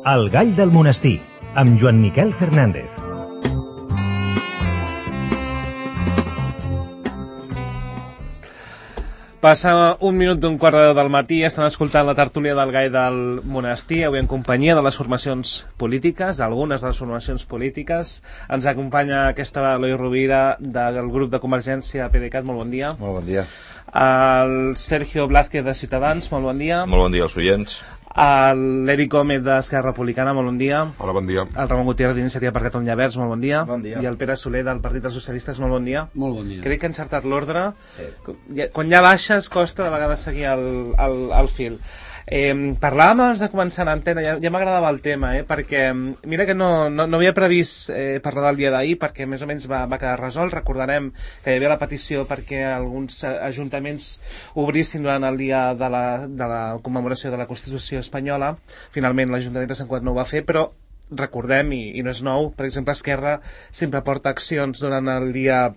El gall del monestir, amb Joan Miquel Fernández. Passa un minut d'un quart de 10 del matí, estan escoltant la tertúlia del gall del monestir, avui en companyia de les formacions polítiques, algunes de les formacions polítiques. Ens acompanya aquesta Eloi Rovira del grup de Convergència PDeCAT, molt bon dia. Molt bon dia. El Sergio Blázquez de Ciutadans, molt bon dia. Molt bon dia als oients. L'Eric Gómez d'Esquerra Republicana, molt bon dia. Hola, bon dia. El Ramon Gutiérrez d'Iniciativa per Catalunya Verds, molt bon dia. Bon dia. I el Pere Soler del Partit dels Socialistes, molt bon dia. Molt bon dia. Crec que he encertat l'ordre. Quan ja baixes costa de vegades seguir el fil. Parlàvem abans de començar l'antena, ja m'agradava el tema, perquè mira que no havia previst parlar del dia d'ahir, perquè més o menys va quedar resolt. Recordarem que hi havia la petició perquè alguns ajuntaments obrissin durant el dia de la commemoració de la Constitució espanyola. Finalment l'Ajuntament de Sant Cugat no ho va fer, però recordem, i no és nou, per exemple Esquerra sempre porta accions durant el dia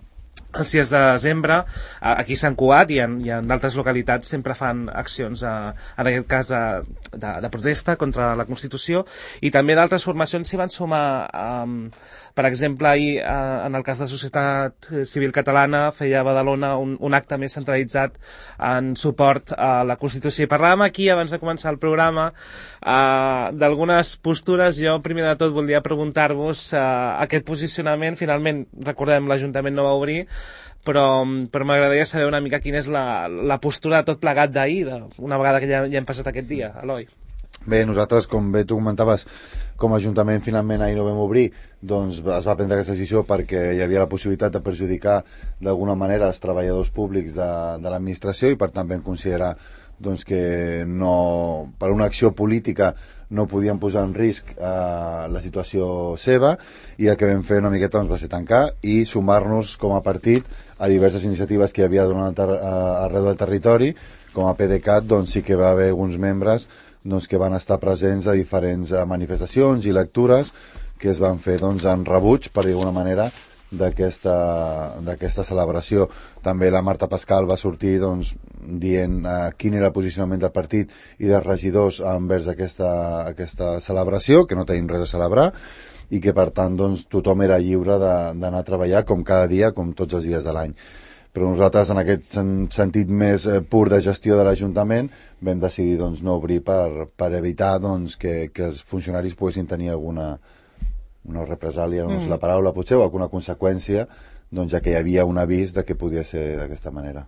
el 6 de desembre, aquí a Sant Cugat i en d'altres localitats sempre fan accions, en aquest cas de protesta contra la Constitució, i també d'altres formacions s'hi van sumar. Per exemple, ahir, en el cas de Societat Civil Catalana, feia a Badalona un acte més centralitzat en suport a la Constitució. I parlàvem aquí, abans de començar el programa, d'algunes postures. Jo, primer de tot, voldria preguntar-vos aquest posicionament. Finalment, recordem, l'Ajuntament no va obrir, però m'agradaria saber una mica quina és la postura de tot plegat d'ahir, una vegada que ja hem passat aquest dia. Eloi. Bé, nosaltres, com bé tu comentaves, com a Ajuntament finalment ahir no vam obrir, doncs es va prendre aquesta decisió perquè hi havia la possibilitat de perjudicar d'alguna manera els treballadors públics de l'administració, i per tant vam considerar doncs, que no, per una acció política no podien posar en risc la situació seva, i el que vam fer una miqueta doncs, va ser tancar i sumar-nos com a partit a diverses iniciatives que hi havia arreu del territori. Com a PDeCAT doncs, sí que va haver alguns membres doncs, que van estar presents a diferents manifestacions i lectures que es van fer doncs, en rebuig, per dir d'alguna manera, d'aquesta celebració. També la Marta Pascal va sortir doncs, dient quin era el posicionament del partit i dels regidors envers aquesta celebració, que no tenim res a celebrar, i que per tant doncs, tothom era lliure d'anar a treballar com cada dia, com tots els dies de l'any. Però nosaltres, en aquest sentit més pur de gestió de l'Ajuntament, vam decidir doncs, no obrir per evitar doncs, que els funcionaris poguessin tenir alguna represàlia, no sé la paraula potser, o alguna conseqüència, doncs, ja que hi havia un avís de que podia ser d'aquesta manera.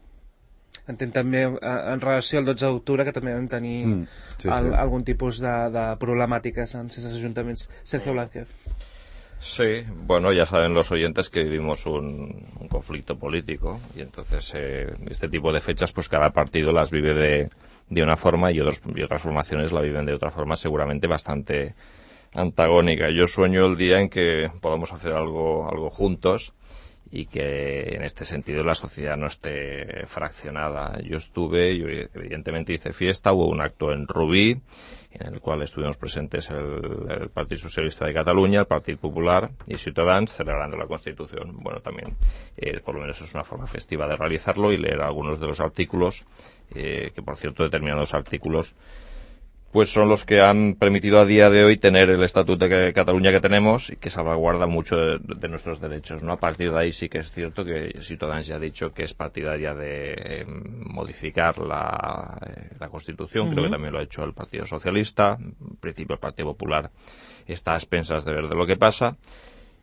Entenc també en relació al 12 d'octubre que també vam tenir algun tipus de problemàtiques en certs ajuntaments. Sergio Blázquez. Sí, bueno, ya saben los oyentes que vivimos un conflicto político, y entonces este tipo de fechas pues cada partido las vive de una forma y otras formaciones la viven de otra forma, seguramente bastante antagónica. Yo sueño el día en que podamos hacer algo juntos y que en este sentido la sociedad no esté fraccionada. Yo evidentemente hice fiesta, hubo un acto en Rubí en el cual estuvimos presentes el Partido Socialista de Cataluña, el Partido Popular y Ciutadans celebrando la Constitución. Bueno, también por lo menos es una forma festiva de realizarlo y leer algunos de los artículos, que por cierto determinados artículos pues son los que han permitido a día de hoy tener el Estatuto de Cataluña que tenemos y que salvaguarda mucho de nuestros derechos, ¿no? A partir de ahí sí que es cierto que Ciutadans ya ha dicho que es partidaria de modificar la Constitución. Creo que también lo ha hecho el Partido Socialista. En principio el Partido Popular está a expensas de ver de lo que pasa.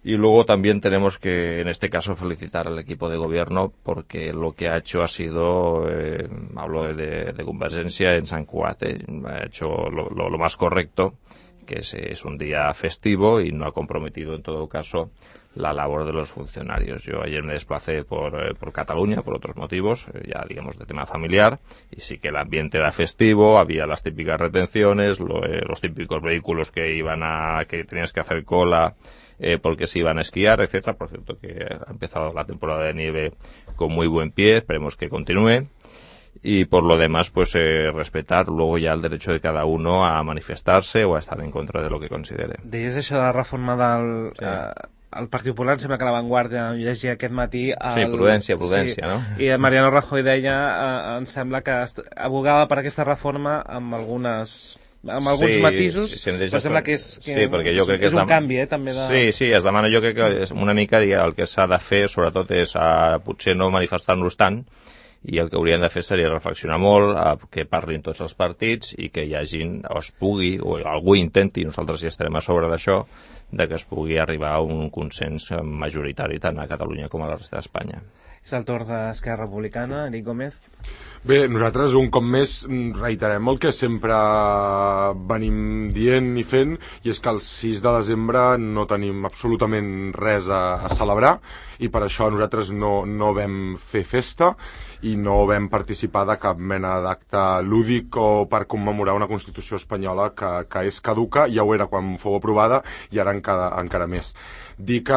Y luego también tenemos que, en este caso, felicitar al equipo de gobierno porque lo que ha hecho ha sido, hablo de Convergencia en Sant Cugat, ha hecho lo más correcto, que es un día festivo y no ha comprometido en todo caso la labor de los funcionarios. Yo ayer me desplacé por Cataluña por otros motivos, ya digamos de tema familiar, y sí que el ambiente era festivo, había las típicas retenciones, los típicos vehículos que tenías que hacer cola porque se iban a esquiar, etcétera. Por cierto que ha empezado la temporada de nieve con muy buen pie, esperemos que continúe. Y por lo demás, pues respetar luego ya el derecho de cada uno a manifestarse o a estar en contra de lo que considere. Deies això de la reforma del... el Partit Popular, sembla que a La Vanguardia llegia aquest matí... Sí, prudència, sí. No? I Mariano Rajoy deia, em sembla que abogava per aquesta reforma amb algunes amb alguns matisos, però sembla que és un canvi, també de... Sí, es demana, jo crec que és una mica el que s'ha de fer, sobretot és potser no manifestar-nos tant, i el que haurien de fer seria reflexionar molt, que parlin tots els partits i que hi hagin, o es pugui, o algú intenti, nosaltres ja estarem a sobre d'això, de que es pugui arribar a un consens majoritari tant a Catalunya com a la resta d'Espanya. És el torn d'Esquerra Republicana, Eric Gómez. Bé, nosaltres un cop més reiterem el que sempre venim dient i fent, i és que el 6 de desembre no tenim absolutament res a celebrar, i per això nosaltres no vam fer festa i no vam participar de cap mena d'acte lúdic o per commemorar una Constitució espanyola que és caduca, ja ho era quan fou aprovada i ara encara més. Dir que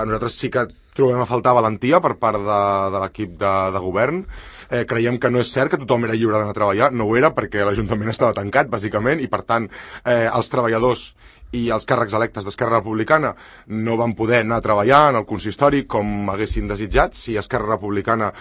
nosaltres sí que trobem a faltar valentia per part de l'equip de govern. Creiem que no és cert que tothom era lliure d'anar a treballar, no ho era perquè l'Ajuntament estava tancat, bàsicament, i per tant els treballadors i els càrrecs electes d'Esquerra Republicana no van poder anar a treballar en el consistori com haguessin desitjat. Si Esquerra Republicana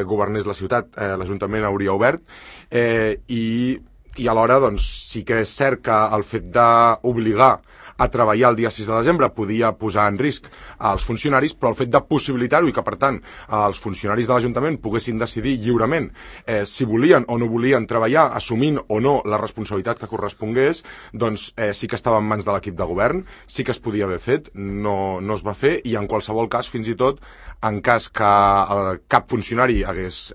governés la ciutat, l'Ajuntament hauria obert, i alhora sí que és cert que el fet d'obligar a treballar el dia 6 de desembre podia posar en risc als funcionaris, però el fet de possibilitar-ho i que, per tant, els funcionaris de l'Ajuntament poguessin decidir lliurement si volien o no volien treballar, assumint o no la responsabilitat que correspongués, doncs sí que estava en mans de l'equip de govern, sí que es podia haver fet, no es va fer, i en qualsevol cas, fins i tot, en cas que cap funcionari hagués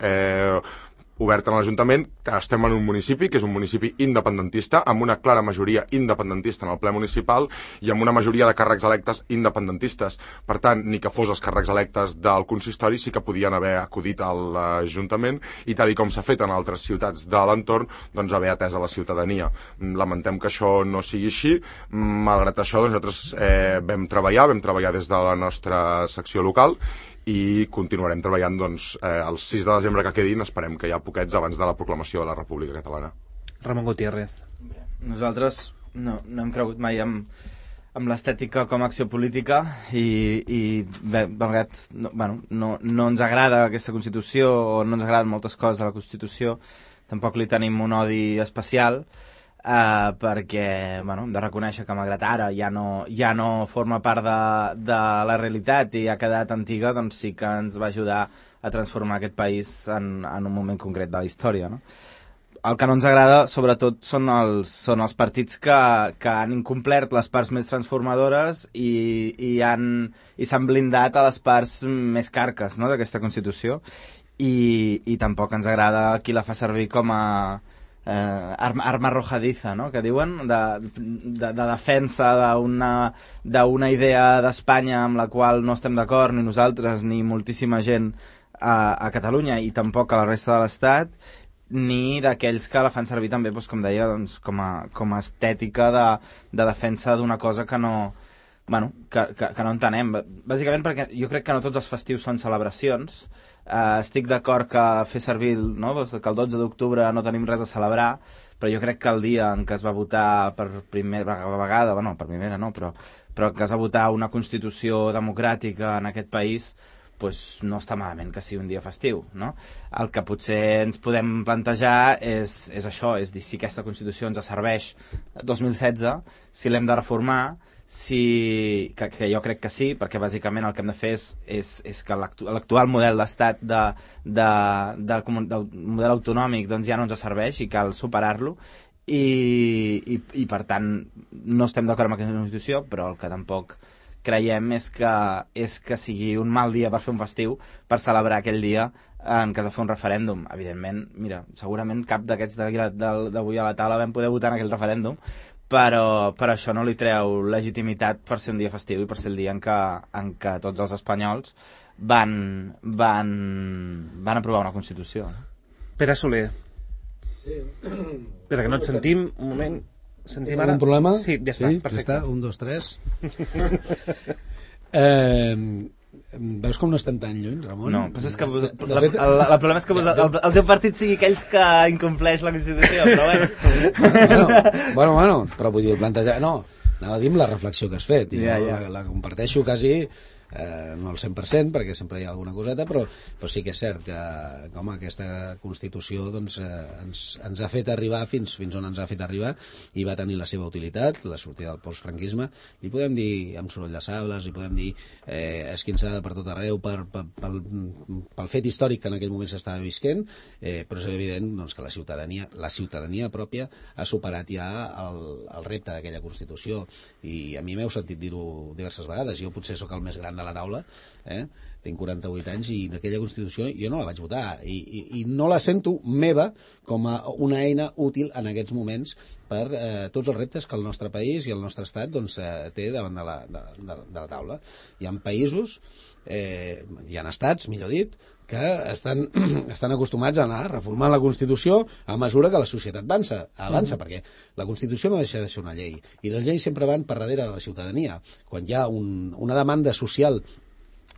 obert en l'Ajuntament, estem en un municipi que és un municipi independentista, amb una clara majoria independentista en el ple municipal i amb una majoria de càrrecs electes independentistes. Per tant, ni que fos els càrrecs electes del consistori sí que podien haver acudit a l'Ajuntament i tal com s'ha fet en altres ciutats de l'entorn, doncs haver atès a la ciutadania. Lamentem que això no sigui així. Malgrat això, nosaltres vam treballar des de la nostra secció local i continuarem treballant el 6 de desembre que quedin, esperem que hi ha poquets abans de la proclamació de la República Catalana. Ramon Gutiérrez. Nosaltres no hem cregut mai amb l'estètica com a acció política i bé, malgrat no ens agrada aquesta Constitució o no ens agraden moltes coses de la Constitució, tampoc li tenim un odi especial, perquè hem de reconèixer que malgrat ara ja no forma part de la realitat i ha quedat antiga, doncs sí que ens va ajudar a transformar aquest país en un moment concret de la història, no? El que no ens agrada, sobretot, són els partits que han incomplert les parts més transformadores i s'han blindat a les parts més carques, no?, d'aquesta Constitució, i tampoc ens agrada qui la fa servir com a arma arrojadiza, no?, que diuen, de defensa d'una idea d'Espanya amb la qual no estem d'acord ni nosaltres ni moltíssima gent a Catalunya i tampoc a la resta de l'Estat, ni d'aquells que la fan servir també, com deia, com a estètica de defensa d'una cosa que no entenem, bàsicament perquè jo crec que no tots els festius són celebracions. Estic d'acord que fer servir, que el 12 d'octubre no tenim res a celebrar, però jo crec que el dia en què es va votar per primera vegada, per primera no, però que es va votar una Constitució democràtica en aquest país, no està malament que sigui un dia festiu, no? El que potser ens podem plantejar és això, és dir, si aquesta Constitució ens serveix 2016, si l'hem de reformar, que jo crec que sí, perquè bàsicament el que hem de fer és que l'actual model d'estat del model autonòmic ja no ens serveix i cal superar-lo i per tant no estem d'acord amb aquesta Constitució, però el que tampoc creiem és que sigui un mal dia per fer un festiu, per celebrar aquell dia en què es va fer un referèndum. Evidentment, mira, segurament cap d'aquests d'avui a la taula vam poder votar en aquell referèndum, però això no li treu legitimitat per ser un dia festiu i per ser el dia en què tots els espanyols van aprovar una Constitució. Pere Soler. Sí. Espera, que no et sentim. Un moment. Sentim ara? Un problema? Sí, ja està, perfecte. Ja està, 1, 2, 3. Veus com no estem tan lluny, Ramon? No, però és que el problema és que el teu partit sigui aquells que incompleix la Constitució, però bueno, però vull dir, plantejar... No, anava a dir amb la reflexió que has fet, i la comparteixo quasi no el 100%, perquè sempre hi ha alguna coseta, però sí que és cert que home, aquesta Constitució doncs, ens ha fet arribar fins on ens ha fet arribar, i va tenir la seva utilitat, la sortida del postfranquisme. Li podem dir amb soroll de sables, li podem dir esquinçada per tot arreu pel fet històric que en aquell moment s'estava visquent, però és evident doncs, que la ciutadania pròpia ha superat ja el repte d'aquella Constitució, i a mi m'heu sentit dir-ho diverses vegades. Jo potser sóc el més gran de la taula, tinc 48 anys, i d'aquella Constitució jo no la vaig votar, i no la sento meva com a una eina útil en aquests moments per tots els reptes que el nostre país i el nostre estat doncs, té davant de la taula. Hi ha països, hi ha estats, millor dit, que estan acostumats a anar reformant la Constitució a mesura que la societat avança, perquè la Constitució no deixa de ser una llei, i les lleis sempre van per darrere de la ciutadania. Quan hi ha una demanda social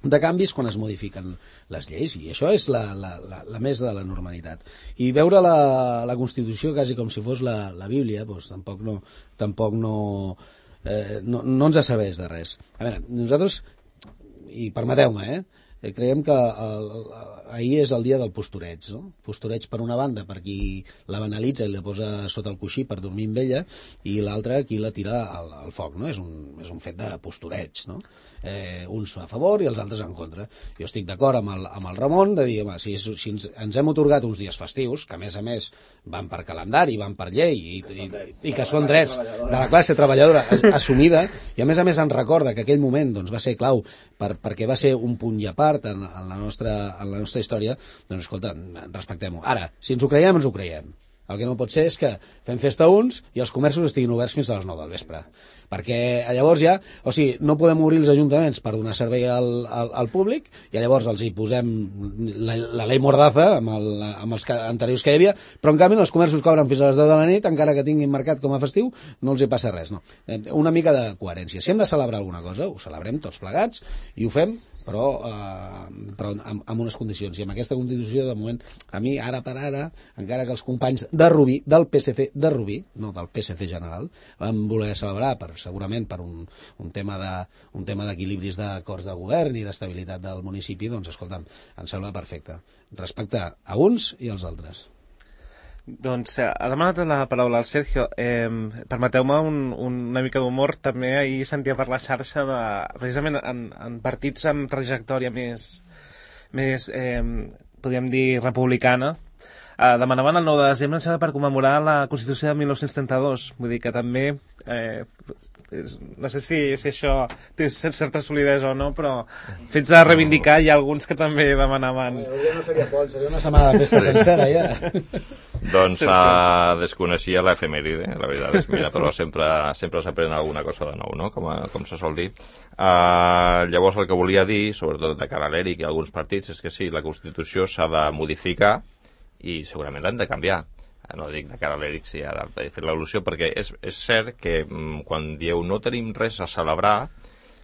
de canvis, quan es modifiquen les lleis, i això és la més de la normalitat. I veure la Constitució quasi com si fos la Bíblia, doncs tampoc no ens serveix de res. A veure, nosaltres, i permeteu-me, creiem que ahir és el dia del postureig, no? Postureig per una banda per qui la banalitza i la posa sota el coixí per dormir amb ella, i l'altra qui la tira al foc, no? És un fet de postureig, no? Uns a favor i els altres en contra. Jo estic d'acord amb el Ramon de dir, home, si ens hem otorgat uns dies festius, que a més van per calendari, van per llei, i que són drets de la classe treballadora assumida, i a més ens recorda que aquell moment doncs, va ser clau perquè va ser un punt i a part en la nostra història, doncs escolta, respectem-ho. Ara, si ens ho creiem, ens ho creiem. El que no pot ser és que fem festa uns i els comerços estiguin oberts fins a les 9 del vespre. Perquè llavors no podem obrir els ajuntaments per donar servei al públic, i llavors els hi posem la llei Mordaza amb els anteriors que hi havia, però en canvi els comerços cobren fins a les 10 de la nit, encara que tinguin marcat com a festiu, no els hi passa res. No. Una mica de coherència. Si hem de celebrar alguna cosa, ho celebrem tots plegats i ho fem, però amb unes condicions. I amb aquesta Constitució, de moment, a mi, ara per ara, encara que els companys de Rubí, del PSC de Rubí, no del PSC general, van voler celebrar segurament per un tema d'equilibris d'acords de govern i d'estabilitat del municipi, doncs, escolta'm, em sembla perfecte. Respectar a uns i als altres. Doncs ha demanat la paraula al Sergio. Permeteu-me una mica d'humor. També ahir sentia per la xarxa precisament en partits amb trajectòria més podríem dir republicana, demanaven el 9 de desembre per commemorar la Constitució de 1932. Vull dir que també no sé si això té certa solidesa o no, però fets a reivindicar, hi ha alguns que també demanaven. No seria Pol, seria una setmana de festa sencera, ja. Doncs desconeixia l'efemèride, la veritat és, mira, però sempre s'aprèn alguna cosa de nou, no? Com se sol dir. Llavors el que volia dir, sobretot de cara a l'ERIC i alguns partits, és que sí, la Constitució s'ha de modificar i segurament l'hem de canviar. No dic de cara a l'ERIC, sí, ara he fet l'al·lusió, perquè és cert que quan dieu no tenim res a celebrar,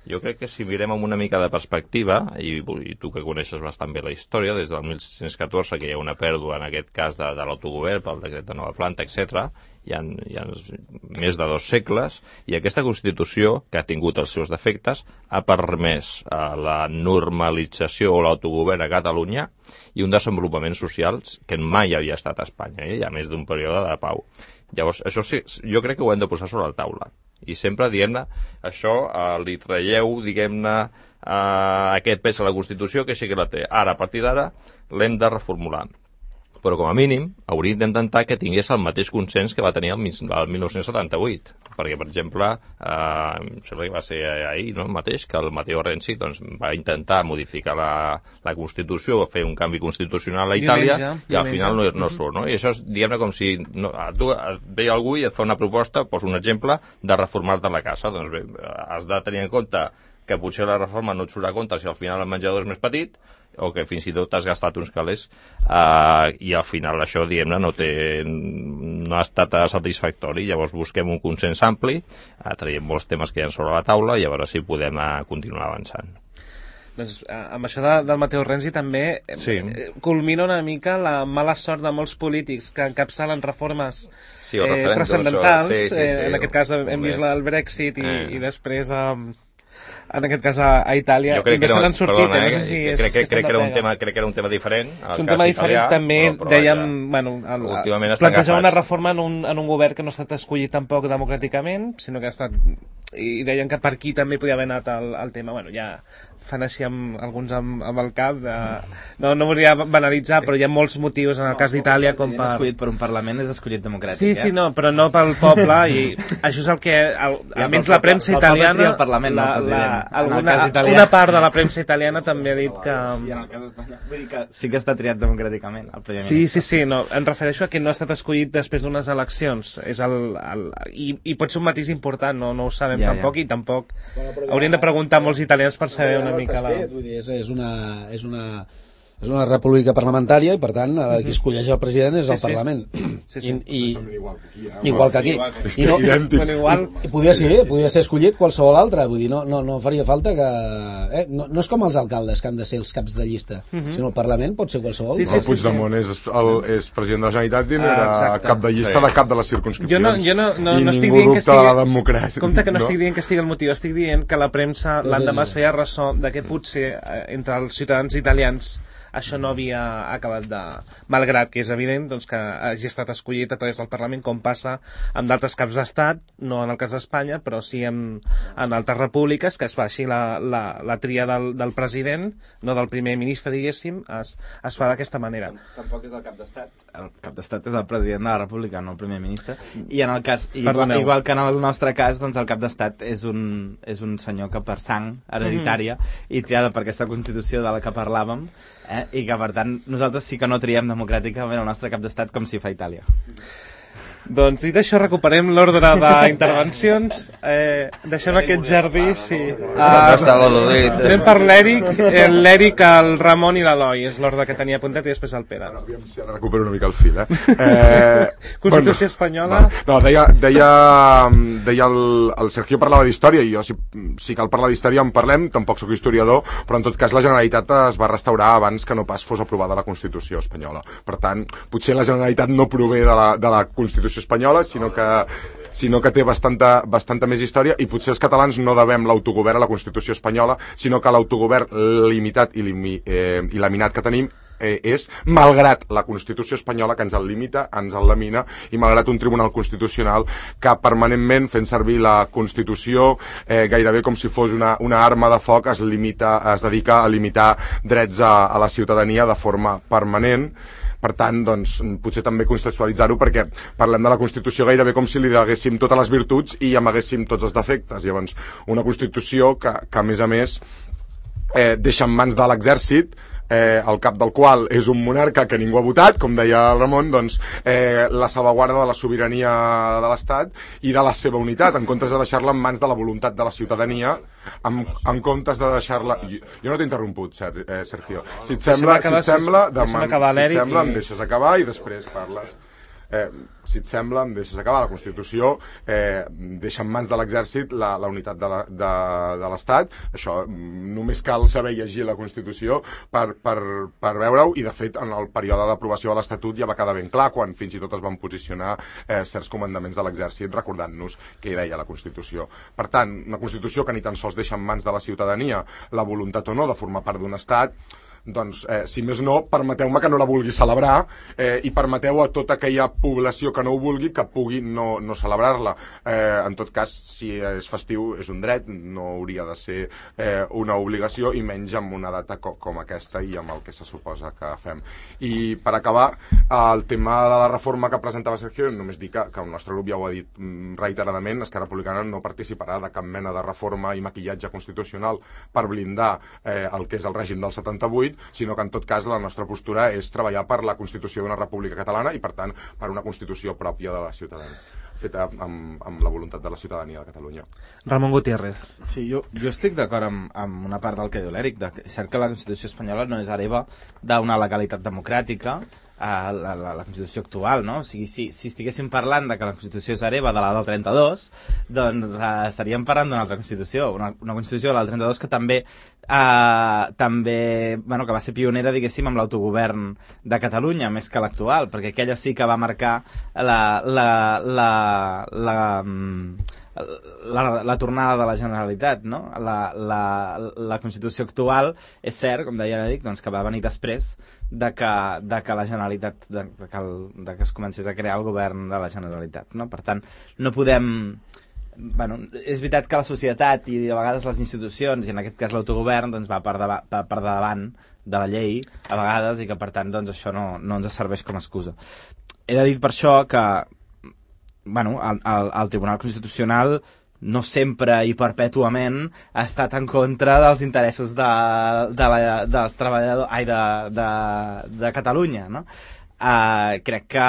jo crec que si mirem amb una mica de perspectiva, i tu que coneixes bastant bé la història, des del 1614 que hi ha una pèrdua en aquest cas de l'autogovern pel decret de nova planta, etc., hi ha més de 2 segles, i aquesta Constitució, que ha tingut els seus defectes, ha permès la normalització o l'autogovern a Catalunya i un desenvolupament social que mai havia estat a Espanya, hi ha més d'un període de pau. Llavors, això sí, jo crec que ho hem de posar sobre la taula. I sempre, diguem-ne, això li traieu, diguem-ne, aquest pes a la Constitució, que sí que la té. Ara, a partir d'ara, l'hem de reformular. Però, com a mínim, hauríem d'intentar que tingués el mateix consens que va tenir el 1978. Perquè, per exemple, sembla que va ser ahir, no?, mateix, que el Matteo Renzi doncs, va intentar modificar la Constitució, fer un canvi constitucional a Itàlia, i al final no surt, no? I això és, diguem-ne, com si tu et ve algú i et fa una proposta, poso un exemple, de reformar-te la casa. Doncs bé, has de tenir en compte que potser la reforma no et surt a compte si al final el menjador és més petit, o que fins i tot t'has gastat uns calés, i al final això, diguem-ne, no ha estat satisfactori. Llavors busquem un consens ampli, traiem molts temes que hi ha sobre la taula, i a veure si podem continuar avançant. Doncs amb això del Matteo Renzi també culmina una mica la mala sort de molts polítics que encapçalen reformes transcendentals. En aquest cas hem vist el Brexit i després en aquest cas a Itàlia, jo crec i no se n'han sortit. Perdona, no sé si crec que era un tema diferent. És un tema diferent, també dèiem, plantejar una reforma en un govern que no ha estat escollit tampoc democràticament, sinó que ha estat, i deien que per aquí també podia haver anat el tema. Bueno, ja fan així alguns amb el cap no volia banalitzar, però hi ha molts motius en el cas d'Itàlia com per... escollit per un Parlament és escollit democràtic, sí, no, però no pel poble, i això és el que almenys la premsa italiana, una part de la premsa italiana també ha dit que... I en el cas d'Espanya, vull dir que sí que està triat democràticament el Primer Ministre. Sí, no, em refereixo a que no ha estat escollit després d'unes eleccions, i pot ser un matís important, no ho sabem tampoc, i tampoc hauríem de preguntar a molts italians per saber una mica vull dir, és una república parlamentària i per tant qui escolleix el president és el Parlament. Igual que aquí. I podria ser escollit qualsevol altre, vull dir, no faria falta que no és com els alcaldes que han de ser els caps de llista, sinó el Parlament pot ser qualsevol. Puigdemont és president de la Generalitat i era cap de llista de cap de les circumscripcions. Jo no estic dient que sigui... Compte que no estic dient que sigui el motiu, estic dient que la premsa l'endemà es feia ressò de que potser entre els ciutadans italians això no havia acabat de... Malgrat que és evident doncs, que hagi estat escollit a través del Parlament, com passa amb d'altres caps d'estat, no en el cas d'Espanya, però sí en altres repúbliques, que es fa així la tria del president, no del primer ministre, diguéssim, es fa d'aquesta manera. Tampoc és el cap d'estat. El cap d'estat és el president de la república, no el primer ministre. I en el cas, igual que en el nostre cas, doncs el cap d'estat és un senyor que per sang hereditària i triada per aquesta Constitució de la que parlàvem, i que per tant nosaltres sí que no triem democràticament el nostre cap d'estat com si fa Itàlia. Doncs dit això, recuperem l'ordre d'intervencions. Deixem aquest jardí, sí. Anem per l'Èric, el Ramon i l'Eloi. És l'ordre que tenia apuntat, i després el Pere. Aviam si ara recupero una mica el fil, Constitució espanyola. No, deia el Sergio parlava d'història, i jo si cal parlar d'història en parlem, tampoc sóc historiador, però en tot cas la Generalitat es va restaurar abans que no pas fos aprovada la Constitució espanyola. Per tant, potser la Generalitat no prové de la Constitució espanyola, sinó que té bastanta més història, i potser els catalans no devem l'autogovern a la Constitució espanyola, sinó que l'autogovern limitat i laminat que tenim és malgrat la Constitució espanyola, que ens el limita, ens el lamina, i malgrat un Tribunal Constitucional que permanentment, fent servir la Constitució gairebé com si fos una arma de foc, es dedica a limitar drets a la ciutadania de forma permanent. Per tant, doncs, potser també contextualitzar-ho, perquè parlem de la Constitució gairebé com si li deguéssim totes les virtuts i amaguéssim tots els defectes. Llavors, una Constitució que a més, deixa en mans de l'exèrcit, el cap del qual és un monarca que ningú ha votat, com deia el Ramon, doncs la salvaguarda de la sobirania de l'Estat i de la seva unitat, en comptes de deixar-la en mans de la voluntat de la ciutadania, en comptes de deixar-la... Jo no t'he interromput, Sergio. Si et sembla, em deixes acabar i després parles. Si et sembla, em deixes acabar. La Constitució deixa en mans de l'exèrcit la unitat de l'Estat. Això només cal saber llegir la Constitució per veure-ho, i de fet en el període d'aprovació de l'Estatut ja va quedar ben clar, quan fins i tot es van posicionar certs comandaments de l'exèrcit recordant-nos què deia la Constitució. Per tant, una Constitució que ni tan sols deixa en mans de la ciutadania la voluntat o no de formar part d'un Estat, doncs, si més no, permeteu-me que no la vulgui celebrar, i permeteu a tota aquella població que no ho vulgui que pugui no celebrar-la. En tot cas, si és festiu, és un dret, no hauria de ser una obligació, i menys amb una data com aquesta i amb el que se suposa que fem. I per acabar, el tema de la reforma que presentava Sergio, només dir que el nostre grup ja ho ha dit reiteradament, Esquerra Republicana no participarà de cap mena de reforma i maquillatge constitucional per blindar el que és el règim del 78, sinó que en tot cas la nostra postura és treballar per la Constitució d'una república catalana i per tant per una Constitució pròpia de la ciutadania, feta amb la voluntat de la ciutadania de Catalunya. Ramon Gutiérrez. Sí, jo estic d'acord amb una part del que diu l'Èric, és cert que la Constitució espanyola no és hereva d'una legalitat democràtica, la Constitució actual, no? O sigui, si estiguéssim parlant de que la Constitució és hereva de la del 32, doncs estaríem parlant d'una altra Constitució, una Constitució de la del 32 que bueno, que va ser pionera, diguéssim, amb l'autogovern de Catalunya, més que l'actual, perquè aquella sí que va marcar la tornada de la Generalitat, no? La Constitució actual és cert, com deia l'Eric, doncs, que va venir després de que la Generalitat, de que es comencés a crear el govern de la Generalitat, no? Per tant, no podem... Bueno, és veritat que la societat i a vegades les institucions, i en aquest cas l'autogovern, doncs va per davant de la llei a vegades, i que per tant doncs, això no ens serveix com a excusa. He de dir per això que bueno, el Tribunal Constitucional no sempre i perpètuament ha estat en contra dels interessos dels treballadors de Catalunya, no? Crec que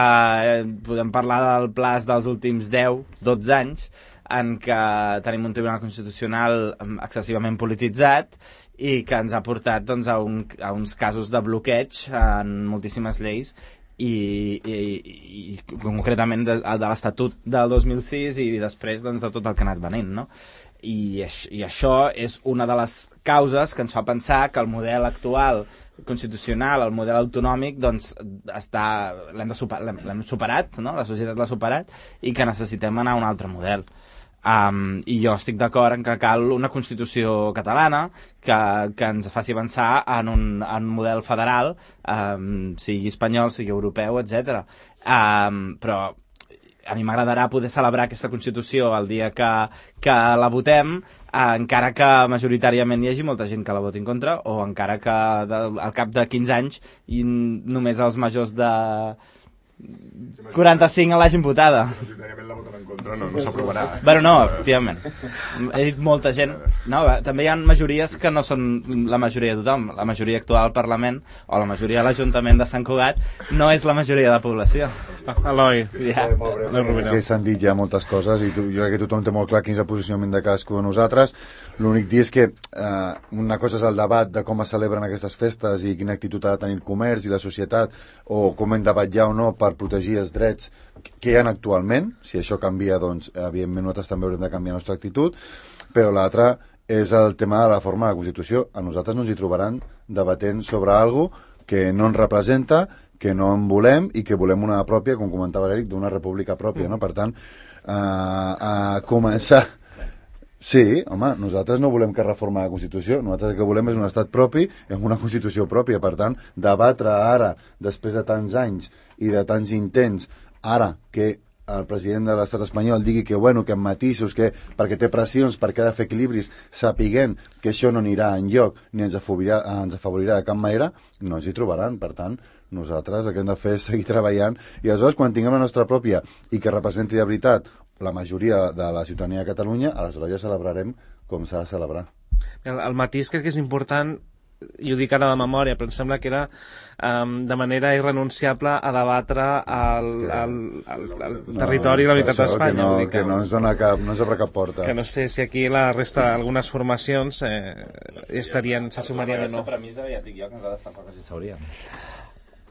podem parlar del plaç dels últims 10-12 anys en què tenim un Tribunal Constitucional excessivament polititzat i que ens ha portat doncs, a uns casos de bloqueig en moltíssimes lleis i concretament de l'Estatut del 2006 i després doncs, de tot el que ha anat venint, no? I això és una de les causes que ens fa pensar que el model actual constitucional, el model autonòmic, doncs l'hem superat, no? La societat l'ha superat i que necessitem anar a un altre model. I jo estic d'acord en que cal una Constitució catalana que ens faci avançar en un model federal, sigui espanyol, sigui europeu, etc. Però a mi m'agradarà poder celebrar aquesta Constitució el dia que la votem, encara que majoritàriament hi hagi molta gent que la voti en contra, o encara que al cap de 15 anys i només els majors de 45 l'hagin votada. Majoritàriament la voten en contra, no s'aprovarà. Bueno, no, efectivament. He dit molta gent. No, també hi ha majories que no són la majoria de tothom. La majoria actual al Parlament o la majoria de l'Ajuntament de Sant Cugat no és la majoria de la població. Eloi. Ja. Que s'han dit ja moltes coses i jo crec que tothom té molt clar quin és el posicionament de cadascú de nosaltres. L'únic dir és que una cosa és el debat de com es celebren aquestes festes i quina actitud ha de tenir el comerç i la societat, o com hem de vetllar o no per protegir els drets que hi ha actualment. Si això canvia, doncs evidentment nosaltres també haurem de canviar la nostra actitud, però l'altre és el tema de la forma de la Constitució. A nosaltres no ens hi trobaran debatent sobre alguna cosa que no ens representa, que no en volem i que volem una pròpia, com comentava l'Eric, d'una república pròpia, no? Per tant, a començar... Sí, home, nosaltres no volem que reforma la Constitució, nosaltres el que volem és un estat propi i amb una Constitució pròpia. Per tant, debatre ara, després de tants anys i de tants intents, ara que el president de l'estat espanyol digui que, bueno, que amb matisos, que perquè té pressions, perquè ha de fer equilibris, sapiguent que això no anirà enlloc ni ens afavorirà de cap manera, no ens hi trobaran. Per tant, nosaltres el que hem de fer és seguir treballant i aleshores, quan tinguem la nostra pròpia i que representi de veritat la majoria de la ciutadania de Catalunya, aleshores ja celebrarem com s'ha de celebrar. El matís crec que és important, i ho dic ara de memòria, però em sembla que era de manera irrenunciable a debatre el territori i la unitat d'Espanya. Que no ens obre cap porta. Que no sé si aquí la resta d'algunes formacions se sumarien o no. Aquesta premissa ja et dic jo que ens ha d'estar quasi s'hauria.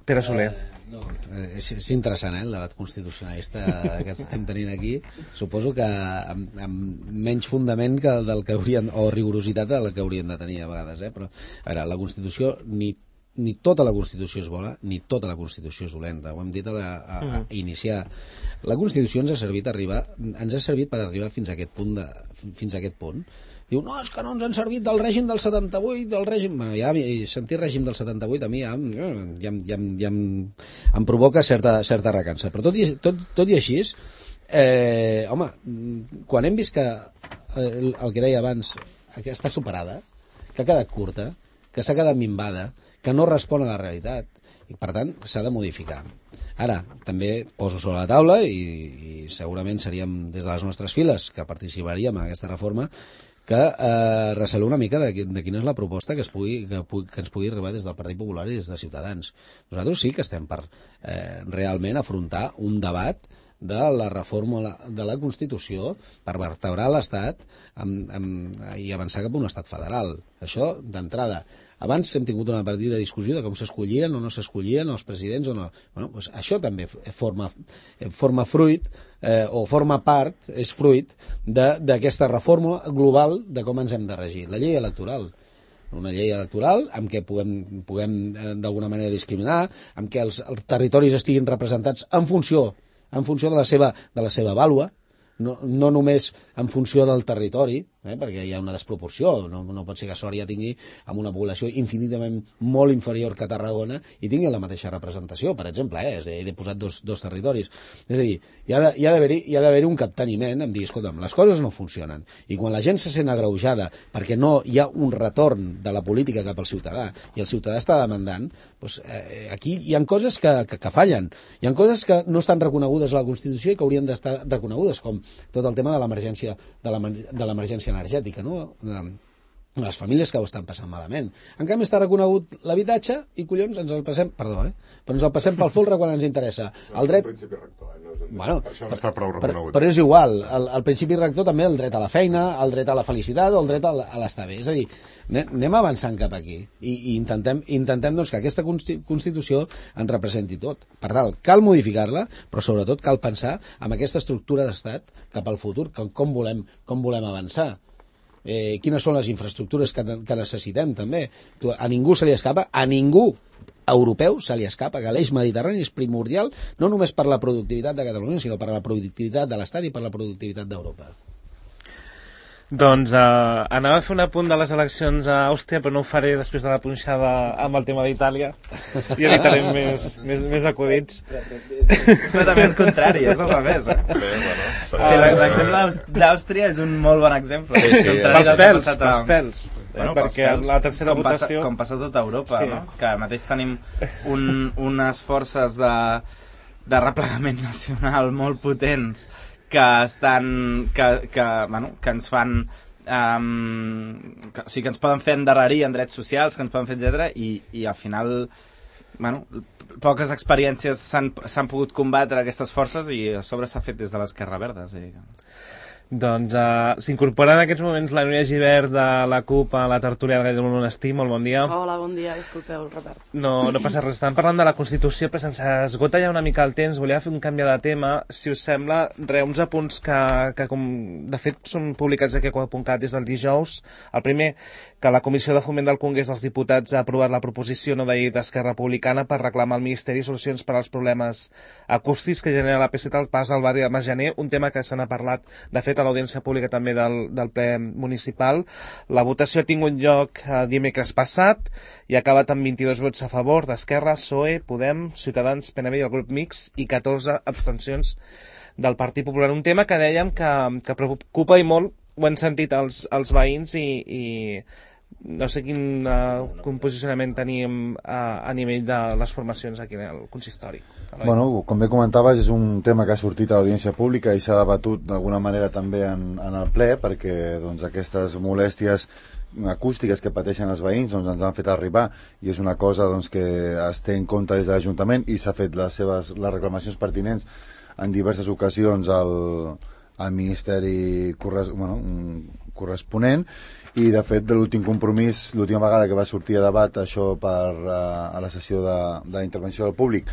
Pere Soler. No, és interessant, el debat constitucionalista que estem tenint aquí. Suposo que amb menys fundament que del que haurien, o rigorositat del que haurien de tenir a vegades, però a veure, la Constitució ni tota la Constitució és bona ni tota la Constitució és dolenta, ho hem dit a iniciar. La Constitució ens ha servit per arribar fins a aquest punt. Diu, no, és que no ens han servit del règim del 78, del règim... Bueno, ja sentir règim del 78 a mi ja em provoca certa recança. Però tot i així, home, quan hem vist que el que deia abans, que està superada, que ha quedat curta, que s'ha quedat minvada, que no respon a la realitat, i per tant s'ha de modificar. Ara, també poso sobre la taula, i segurament seríem des de les nostres files que participaríem en aquesta reforma, que recelo una mica de quina és la proposta que ens pugui arribar des del Partit Popular i des de Ciutadans. Nosaltres sí que estem per realment afrontar un debat de la reforma de la Constitució per vertebrar l'Estat i avançar cap a un estat federal. Això d'entrada. Abans hem tingut una partida de discussió de com s'escollien o no s'escollien els presidents o no. Bueno, doncs això també forma fruit o forma part, és fruit d'aquesta reforma global de com ens hem de regir. La llei electoral. Una llei electoral amb què puguem d'alguna manera discriminar, amb què els territoris estiguin representats en funció de la seva vàlua, no només en funció del territori, perquè hi ha una desproporció, no pot ser que Sòria tingui amb una població infinitament molt inferior que Tarragona i tingui la mateixa representació, per exemple, he posat dos territoris. És a dir, hi ha d'haver un capteniment en dir, escolta'm, les coses no funcionen, i quan la gent se sent agreujada perquè no hi ha un retorn de la política cap al ciutadà, i el ciutadà està demandant, doncs, aquí hi ha coses que fallen, hi ha coses que no estan reconegudes a la Constitució i que haurien d'estar reconegudes, com tot el tema de l'emergència energètica, no? Les famílies que ho estan passant malament. En canvi està reconegut l'habitatge i collons ens el passem, però ens el passem pel folre quan ens interessa. El dret... principi rector, Bueno, per això no està prou reconegut. Però és igual, el principi rector també el dret a la feina, el dret a la felicitat o el dret a l'estar bé. És a dir, anem avançant cap aquí i intentem doncs, que aquesta Constitució ens representi tot. Per tant, cal modificar-la, però sobretot cal pensar en aquesta estructura d'estat cap al futur, com volem avançar. Quines són les infraestructures que necessitem també. A ningú se li escapa, a ningú europeu se li escapa que l'eix mediterrani és primordial no només per la productivitat de Catalunya, sinó per la productivitat de l'Estat i per la productivitat d'Europa. Doncs anava a fer un apunt de les eleccions a Àustria, però no ho faré després de la punxada amb el tema d'Itàlia i evitarem més acudits. Completament el contrari, és al revés. L'exemple d'Àustria és un molt bon exemple. Pels pèls. Perquè la tercera votació... Com passa a tota Europa, no? Que ara mateix tenim unes forces de replegament nacional molt potents que ens fan o sigui, que ens poden fer endarrerir en drets socials, que ens poden fer, etc. I al final poques experiències s'han pogut combatre aquestes forces i a sobre s'ha fet des de l'Esquerra Verda. Doncs s'incorpora en aquests moments la Núria Gibert de la CUP a la tertúlia del Gall del Monestir. Molt bon dia. Hola, bon dia, disculpeu el retard. No passa res, estàvem parlant de la Constitució, però se'ns esgota ja una mica el temps. Volia fer un canvi de tema, si us sembla, uns apunts que com de fet són publicats aquí a Quo.cat des del dijous. El primer, que la Comissió de Foment del Congrés dels Diputats ha aprovat la proposició no de llei d'Esquerra Republicana per reclamar al Ministeri solucions per als problemes acústics que genera la P7 al pas al barri de Masgener, un tema que se n'ha parlat, de fet, a l'audiència pública també del ple municipal. La votació ha tingut lloc dimecres passat i ha acabat amb 22 vots a favor d'Esquerra, PSOE, Podem, Ciutadans, PNB i el grup Mix i 14 abstencions del Partit Popular. Un tema que dèiem que preocupa i molt, ho han sentit els veïns i no sé quin posicionament tenim a nivell de les formacions aquí al consistori. Bueno, com bé comentaves, és un tema que ha sortit a l'audiència pública i s'ha debatut d'alguna manera també en el ple, perquè doncs, aquestes molèsties acústiques que pateixen els veïns doncs, ens han fet arribar, i és una cosa doncs, que es té en compte des de l'Ajuntament i s'ha fet les reclamacions pertinents en diverses ocasions al Ministeri corresponent. I de fet, de l'últim compromís, l'última vegada que va sortir a debat això a la sessió de la intervenció del públic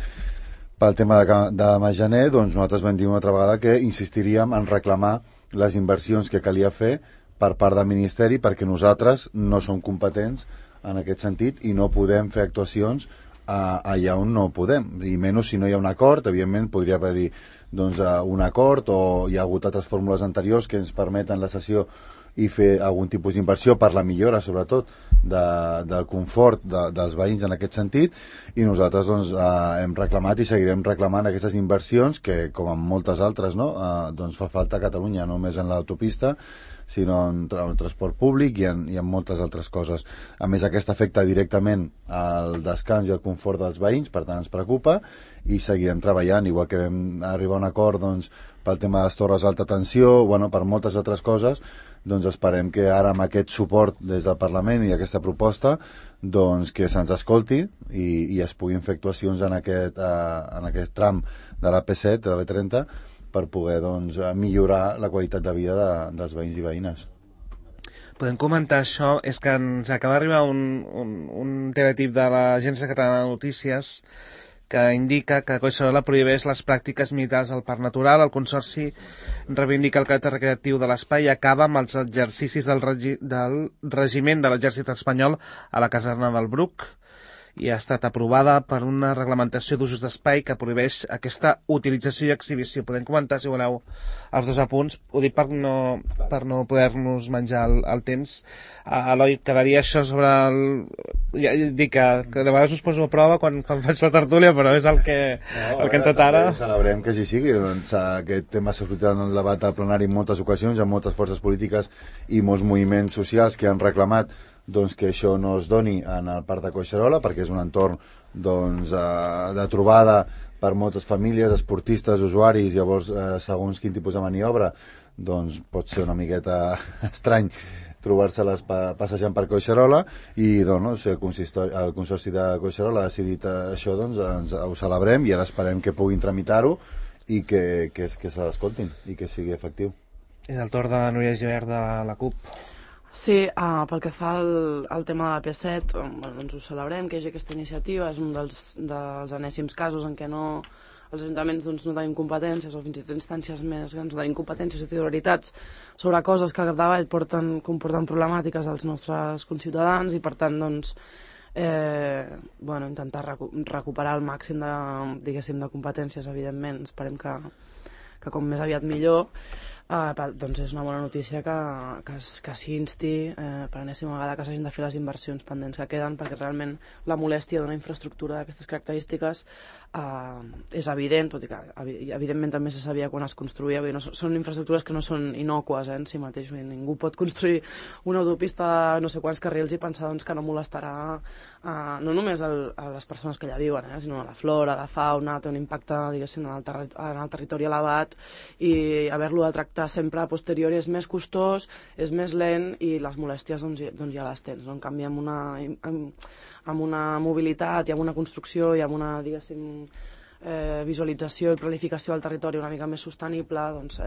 pel tema de Masgener, doncs nosaltres vam dir una altra vegada que insistiríem en reclamar les inversions que calia fer per part del Ministeri, perquè nosaltres no som competents en aquest sentit i no podem fer actuacions allà on no podem, i menys si no hi ha un acord. Evidentment podria haver-hi doncs, un acord, o hi ha hagut altres fórmules anteriors que ens permeten la cessió i fer algun tipus d'inversió per la millora, sobretot, del confort dels veïns en aquest sentit, i nosaltres doncs, hem reclamat i seguirem reclamant aquestes inversions que, com en moltes altres, no? Doncs fa falta a Catalunya, no només en l'autopista, sinó en transport públic i en moltes altres coses. A més, aquesta afecta directament al descans i al confort dels veïns, per tant ens preocupa, i seguirem treballant, igual que vam arribar a un acord doncs, pel tema de les torres d'alta tensió, bueno, per moltes altres coses. Doncs esperem que ara amb aquest suport des del Parlament i aquesta proposta doncs que se'ns escolti i es puguin fer actuacions en aquest tram de la P7, de la B30, per poder doncs, millorar la qualitat de vida dels veïns i veïnes. Podem comentar això? És que ens acaba d'arribar un teletip de l'Agència Catalana de Notícies que indica que Collserola prohibeix les pràctiques militars al Parc Natural. El Consorci reivindica el caràcter recreatiu de l'espai i acaba amb els exercicis del regiment de l'exèrcit espanyol a la caserna del Bruc. i ha estat aprovada per una reglamentació d'usos d'espai que prohibeix aquesta utilització i exhibició. Podem comentar, si voleu, els dos apunts. Ho dic per no poder-nos menjar el temps. Eloi, quedaria això sobre el... Ja dic que de vegades us poso a prova quan faig la tertúlia, però és el que hem tot ara. Celebrem que així sigui. Doncs, aquest tema s'ha sortit en el debat al plenari en moltes ocasions, amb moltes forces polítiques i molts moviments socials que han reclamat doncs, que això no es doni en el Parc de Collserola, perquè és un entorn doncs, de trobada per moltes famílies, esportistes, usuaris. Llavors, segons quin tipus de maniobra, doncs pot ser una miqueta estrany trobar-se-les passejant per Collserola, i doncs, el Consorci de Collserola ha decidit això, doncs ho celebrem i ara esperem que puguin tramitar-ho i que se l'escoltin i que sigui efectiu. És el torn de Núria Gibert de la CUP. Sí, pel que fa al tema de la P7, doncs ho celebrem, que hi hagi aquesta iniciativa. És un dels enèsims casos en què els ajuntaments doncs, no tenim competències, o fins i tot instàncies més grans no tenim competències o titularitats sobre coses que al capdavall comporten problemàtiques als nostres conciutadans, i per tant doncs, intentar recuperar el màxim de competències, evidentment. Esperem que com més aviat millor. Doncs és una bona notícia que s'insti per enèsima vegada que s'hagin de fer les inversions pendents que queden, perquè realment la molèstia d'una infraestructura d'aquestes característiques és evident, tot i que evidentment també se sabia quan es construïa. Són infraestructures que no són innòcues en si mateix. Ningú pot construir una autopista de no sé quants carrils i pensar doncs, que no molestarà no només a les persones que allà viuen, sinó a la flora, a la fauna. Té un impacte, diguéssim, en el territori elevat, i haver-lo de tractar sempre a posteriori és més costós, és més lent, i les molèsties doncs ja les tens. En canvi, amb una mobilitat i amb una construcció i amb una, diguéssim, visualització i planificació del territori una mica més sostenible, doncs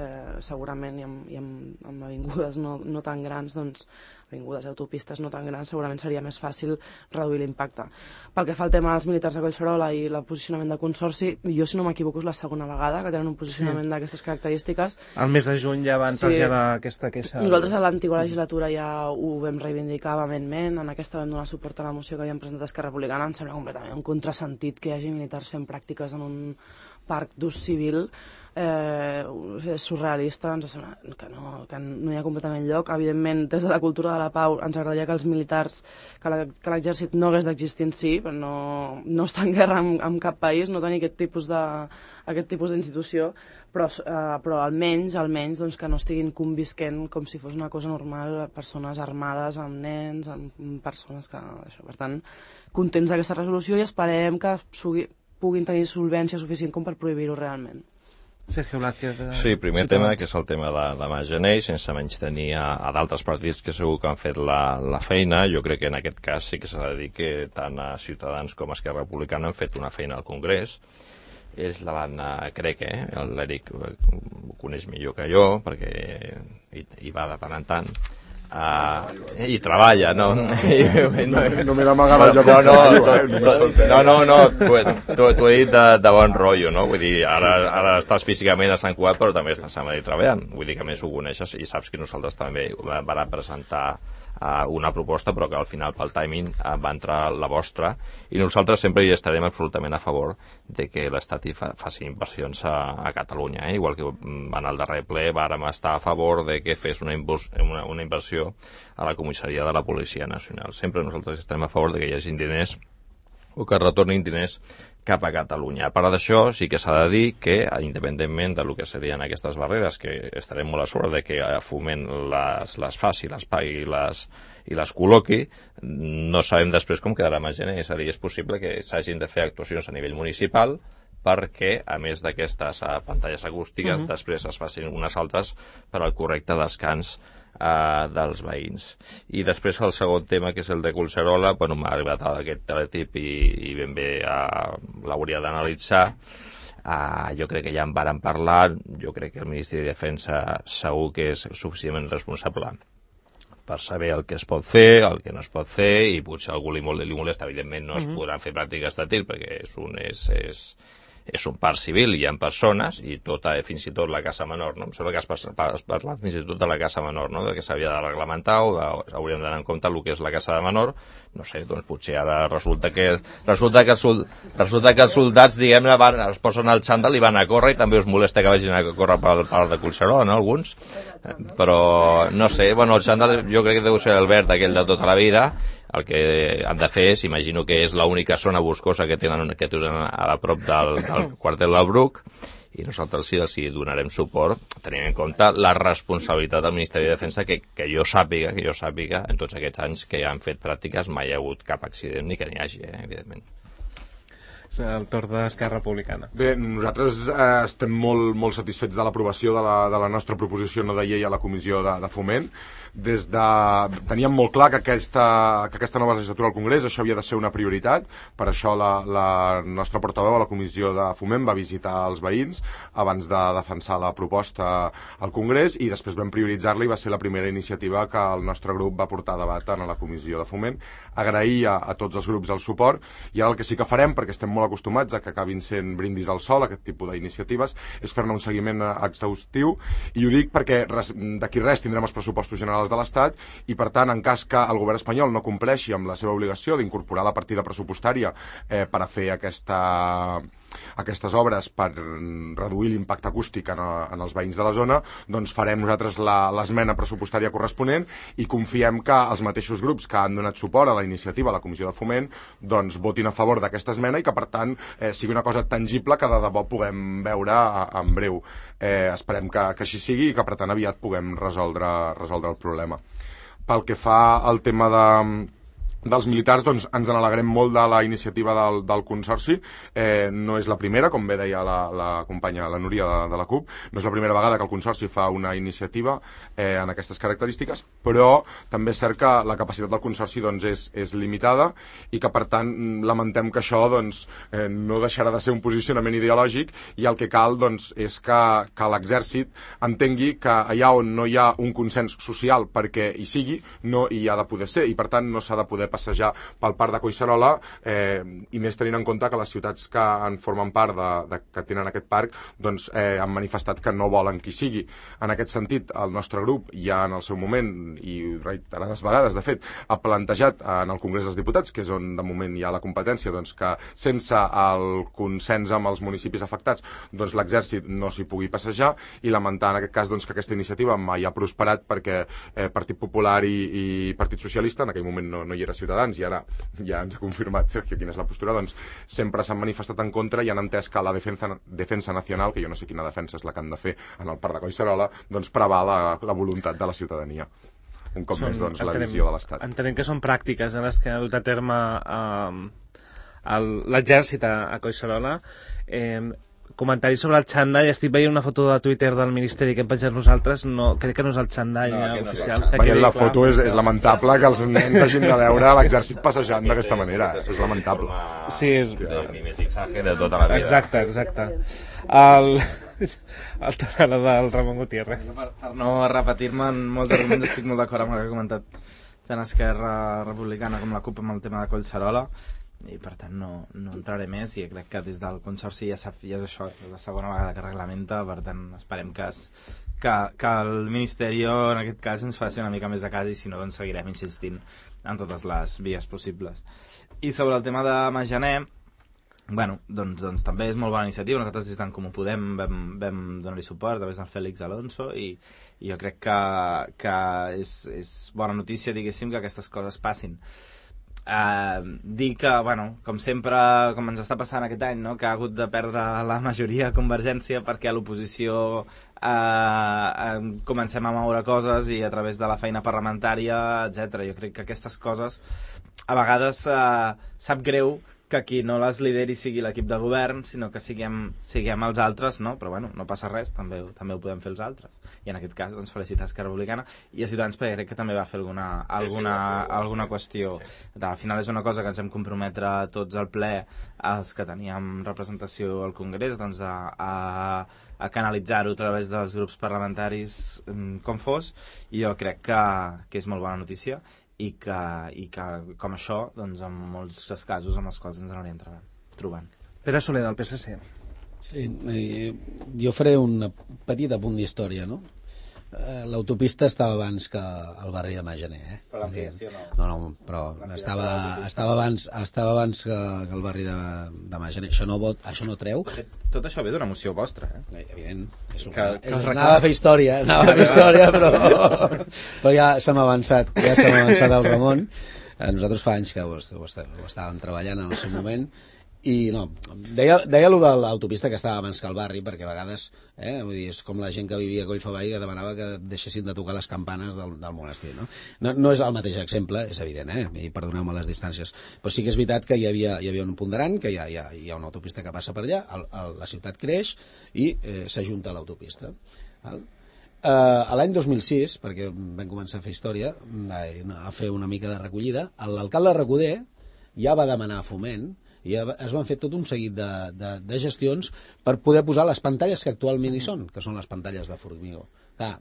segurament, i amb avingudes no tan grans, doncs avingudes i autopistes no tan grans, segurament seria més fàcil reduir l'impacte. Pel que fa al tema dels militars de Collserola i el posicionament del Consorci, jo, si no m'equivoco, és la segona vegada que tenen un posicionament d'aquestes característiques. El mes de juny ja van traslladar aquesta queixa. Nosaltres a l'antiga legislatura ja ho vam reivindicar vehementment. En aquesta vam donar suport a la moció que havíem presentat Esquerra Republicana. Em sembla completament un contrasentit que hi hagi militars fent pràctiques en un parc d'ús civil. És surrealista, ens sembla que no hi ha completament lloc. Evidentment, des de la cultura de la pau ens agradaria que els militars, que l'exèrcit no hagués d'existir en si, però no està en guerra amb cap país, no tenir aquest tipus d'institució, però almenys doncs, que no estiguin convisquent com si fos una cosa normal, persones armades amb nens, amb persones que... Per tant, contents d'aquesta resolució, i esperem que puguin tenir solvència suficient com per prohibir-ho realment. Sergio Blázquez. Sí, primer tema, que és el tema de Magenei, sense menys tenir a d'altres partits que segur que han fet la feina. Jo crec que en aquest cas sí que s'ha de dir que tant a Ciutadans com a Esquerra Republicana han fet una feina al Congrés. Ells la van, crec, l'Eric ho coneix millor que jo, perquè hi va de tant en tant. I treballa, no? No m'he d'amagar el joc. No, t'ho he dit de bon rotllo, no? Vull dir, ara estàs físicament a Sant Cugat, però també estàs a Madrid treballant. Vull dir que a més ho coneixes i saps que nosaltres també vam presentar una proposta, però que al final pel timing va entrar la vostra, i nosaltres sempre hi estarem absolutament a favor de que l'Estat faci inversions a Catalunya, igual que en el darrer ple vàrem estar a favor de que fes una inversió a la comissaria de la Policia Nacional. Sempre nosaltres estarem a favor de que hi hagi diners o que retornin diners cap a Catalunya. A part d'això, sí que s'ha de dir que, independentment del que serien aquestes barreres, que estarem molt a sobre de que Foment les faci, les pagui i les col·loqui, no sabem després com quedarà Magenei. És a dir, és possible que s'hagin de fer actuacions a nivell municipal perquè, a més d'aquestes pantalles acústiques, després es facin unes altres per al correcte descans dels veïns. I després el segon tema, que és el de Collserola, m'ha arribat aquest teletip i ben bé l'hauria d'analitzar. Jo crec que ja en vàrem parlar. Jo crec que el Ministeri de Defensa segur que és suficientment responsable per saber el que es pot fer, el que no es pot fer, i potser a algú li molesta. Evidentment no es podran fer pràctiques de tir perquè és un parc civil, hi ha persones, i fins i tot la casa menor, no? Em sembla que has parlat fins i tot de la casa menor, no? De que s'havia de reglamentar o hauríem d'anar en compte el que és la casa de menor. No sé, doncs potser ara resulta que els soldats, diguem-ne, es posen al xandall i van a córrer, i també us molesta que vagin a córrer pel parc de Collserola, no? Alguns. Però, no sé, bueno, el xandall jo crec que deu ser el verd aquell de tota la vida. El que han de fer és, imagino que és l'única zona boscosa que tenen a prop del quartel del Bruc, i nosaltres sí els donarem suport, tenint en compte la responsabilitat del Ministeri de Defensa, que jo sàpiga, en tots aquests anys que han fet pràctiques mai hi ha hagut cap accident ni que n'hi hagi, evidentment. És el torn d'Esquerra Republicana. Bé, nosaltres estem molt satisfets de l'aprovació de la nostra proposició no de llei a la Comissió de Foment. Teníem molt clar que aquesta nova legislatura al Congrés això havia de ser una prioritat. Per això la nostra portaveu a la Comissió de Foment va visitar els veïns abans de defensar la proposta al Congrés, i després vam prioritzar-la i va ser la primera iniciativa que el nostre grup va portar a debat a la Comissió de Foment. Agrair a tots els grups el suport, i ara el que sí que farem, perquè estem molt acostumats a que acabin sent brindis al sol aquest tipus d'iniciatives, és fer-ne un seguiment exhaustiu, i ho dic perquè d'aquí res tindrem els pressupostos generals de l'Estat, i per tant, en cas que el govern espanyol no compleixi amb la seva obligació d'incorporar la partida pressupostària per a fer aquestes obres per reduir l'impacte acústic en els veïns de la zona, doncs farem nosaltres l'esmena pressupostària corresponent, i confiem que els mateixos grups que han donat suport a la iniciativa a la Comissió de Foment doncs votin a favor d'aquesta esmena, i que per tant sigui una cosa tangible que de debò puguem veure en breu. Esperem que així sigui i que per tant aviat puguem resoldre el problema. Pel que fa al tema dels militars, doncs ens n'alegrem molt de la iniciativa del Consorci. No és la primera, com bé deia la companya, la Núria de la CUP, no és la primera vegada que el Consorci fa una iniciativa en aquestes característiques, però també és cert que la capacitat del Consorci doncs, és limitada, i que per tant lamentem que això doncs, no deixarà de ser un posicionament ideològic, i el que cal doncs, és que l'exèrcit entengui que allà on no hi ha un consens social perquè hi sigui, no hi ha de poder ser, i per tant no s'ha de poder passejar pel parc de Collserola, i més tenint en compte que les ciutats que en formen part que tenen aquest parc doncs, han manifestat que no volen que hi sigui. En aquest sentit, el nostre grup ja en el seu moment, i reiterades vegades de fet, ha plantejat en el Congrés dels Diputats, que és on de moment hi ha la competència, doncs, que sense el consens amb els municipis afectats doncs, l'exèrcit no s'hi pugui passejar, i lamentar en aquest cas doncs, que aquesta iniciativa mai ha prosperat perquè Partit Popular i Partit Socialista, en aquell moment no hi era Ciutadans, i ara ja ens ha confirmat Sergio quina és la postura, doncs sempre s'han manifestat en contra i han entès que la defensa nacional, que jo no sé quina defensa és la que han de fer en el parc de Collserola, doncs preval la voluntat de la ciutadania. Un cop més, doncs, la visió de l'Estat. Entenem que són pràctiques en les que ha dut a terme l'exèrcit a Collserola. Comentaris sobre el xandall. Estic veient una foto de Twitter del Ministeri que hem penjat nosaltres. No, crec que no és el xandall oficial. Veient la foto és lamentable que els nens hagin de veure l'exèrcit passejant d'aquesta manera. És lamentable. Sí, és... De mimetizaje de tota la vida. Exacte. El torn del Ramon Gutiérrez. Per no repetir-me en molts arguments, estic molt d'acord amb el que ha comentat tant Esquerra Republicana com la CUP amb el tema de Collserola, i per tant no entraré més, i crec que des del Consorci ja és això, és la segona vegada que reglamenta, per tant esperem que el Ministeri en aquest cas ens faci una mica més de cas, i si no doncs seguirem insistint en totes les vies possibles. I sobre el tema de Majaner, bueno, doncs també és molt bona iniciativa. Nosaltres des d'en Comú Podem vam donar-hi suport a través del Fèlix Alonso, i jo crec que és bona notícia, diguéssim, que aquestes coses passin. Dir que, bueno, com sempre, com ens està passant aquest any, no? Que ha hagut de perdre la majoria a Convergència perquè a l'oposició comencem a moure coses, i a través de la feina parlamentària, etc. Jo crec que aquestes coses a vegades sap greu que qui no les lideri sigui l'equip de govern, sinó que siguem els altres, no? Però bueno, no passa res, també ho podem fer els altres. I en aquest cas, doncs, felicitar Esquerra Republicana i a Ciutadans, perquè crec que també va fer alguna qüestió. Al final és una cosa que ens hem comprometre tots al ple, els que teníem representació al Congrés, doncs a canalitzar-ho a través dels grups parlamentaris com fos, i jo crec que és molt bona notícia, i que com això, doncs, en molts casos amb els quals ens anirem trobant. Pere Soler, del PSC. Sí, jo faré un petit apunt d'història, no? L'autopista estava abans que el barri de Maganer, Però l'ampliació no. No, però estava abans que el barri de Maganer. Això no treu. Tot això ve d'una moció vostra, Evident. Anava a fer història, però ja se m'ha avançat el Ramon. Nosaltres fa anys que ho estàvem treballant en el seu moment. I no, deia allò de l'autopista que estava abans que el barri, perquè a vegades vull dir, és com la gent que vivia a Collfaball que demanava que deixessin de tocar les campanes del monestir, no és el mateix exemple, és evident, i perdoneu-me les distàncies, però sí que és veritat que hi havia un ponderant, que hi ha una autopista que passa per allà, la ciutat creix i s'ajunta a l'autopista. A l'any 2006, perquè vam començar a fer història, a fer una mica de recollida, l'alcalde Recoder ja va demanar a Foment i es van fer tot un seguit de gestions per poder posar les pantalles que actualment hi són, que són les pantalles de formigó. Clar,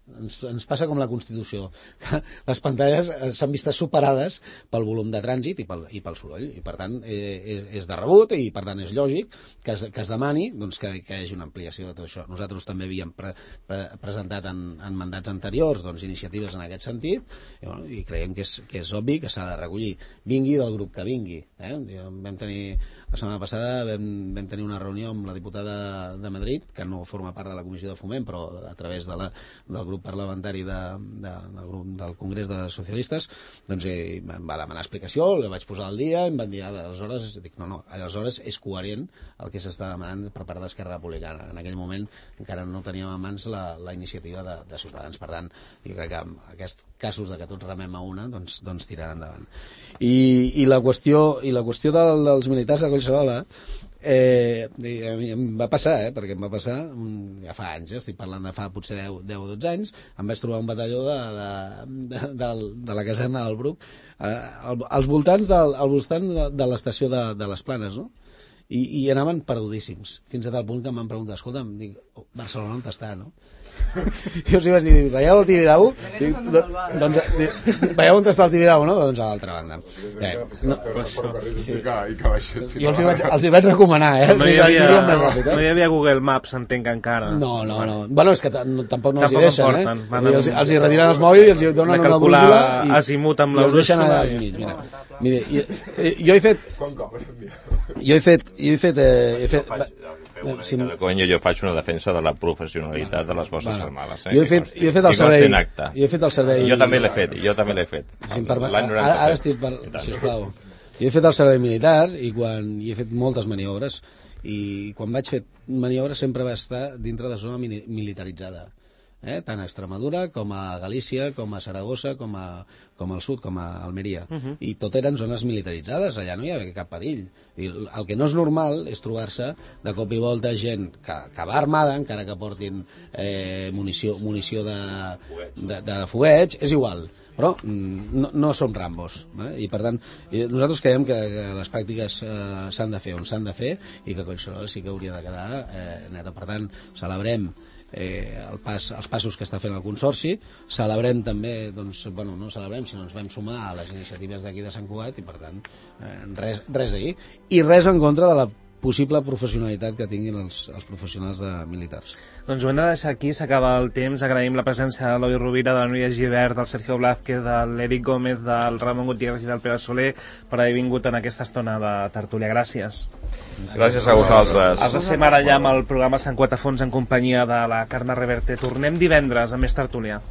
ens passa com la Constitució, que les pantalles s'han vist superades pel volum de trànsit i pel soroll, i per tant és de rebut i per tant és lògic que es demani doncs, que hi hagi una ampliació de tot això. Nosaltres també havíem presentat en mandats anteriors doncs, iniciatives en aquest sentit i creiem que és obvi que s'ha de recollir, vingui del grup que vingui. Vam tenir la setmana passada vam tenir una reunió amb la diputada de Madrid, que no forma part de la Comissió de Foment, però a través del grup parlamentari del Congrés de Socialistes, doncs em va demanar explicació, la vaig posar al dia, em van dir, aleshores, dic, no, aleshores és coherent el que s'està demanant per part d'Esquerra Republicana. En aquell moment encara no teníem a mans la iniciativa de Ciutadans. Per tant, jo crec que en aquests casos de que tots remem a una, doncs tiraran endavant. I la qüestió dels militars de Collserola em va passar, perquè em va passar ja fa anys, estic parlant de fa potser 10 o 12 anys, em vaig trobar un batalló de la caserna del Bruc als voltants de l'estació de les Planes, no? I anaven perdudíssims, fins a tal punt que em van preguntar, escolta, dic, Barcelona on està, no? Jo els vaig dir, veieu el Tibidabo? Doncs veieu on està el Tibidabo, no? Doncs a l'altra banda. Jo els hi vaig recomanar, No hi havia Google Maps, entenc encara. No. Bueno, és que tampoc no els hi deixen, els hi retiren els mòbils i els hi donen una brújula i els deixen allà al mig. Mira, jo he fet jo faig una defensa de la professionalitat de les Forces Armades. Jo he fet el servei. Jo també l'he fet. L'any 97. Ara estic per... Sisplau. Jo he fet el servei militar i he fet moltes maniobres i quan vaig fer maniobres sempre va estar dintre de zona militaritzada. Tant a Extremadura com a Galícia, com a Saragossa, com al sud, com a Almeria. I tot eren zones militaritzades, allà no hi havia cap perill. El que no és normal és trobar-se de cop i volta gent que va armada, encara que portin munició de fogueig, és igual. Però no som Rambos, i per tant nosaltres creiem que les pràctiques s'han de fer on s'han de fer i que Collserola sí que hauria de quedar neta. Per tant, celebrem els passos que està fent el Consorci, celebrem també, no celebrem, sinó ens vam sumar a les iniciatives d'aquí de Sant Cugat i per tant res d'ahir i res en contra de la possible professionalitat que tinguin els professionals militars. Doncs ho hem de deixar aquí, s'acaba el temps. Agraïm la presència de l'Eloi Rovira, de la Núria Gibert, del Sergio Blázquez, de l'Eric Gómez, del Ramon Gutiérrez i del Pere Soler per haver vingut en aquesta estona de tertúlia. Gràcies. Gràcies a vosaltres. Els deixem ara ja amb el programa Sant Cuat a Fons en companyia de la Carme Reverte. Tornem divendres amb més tertúlia.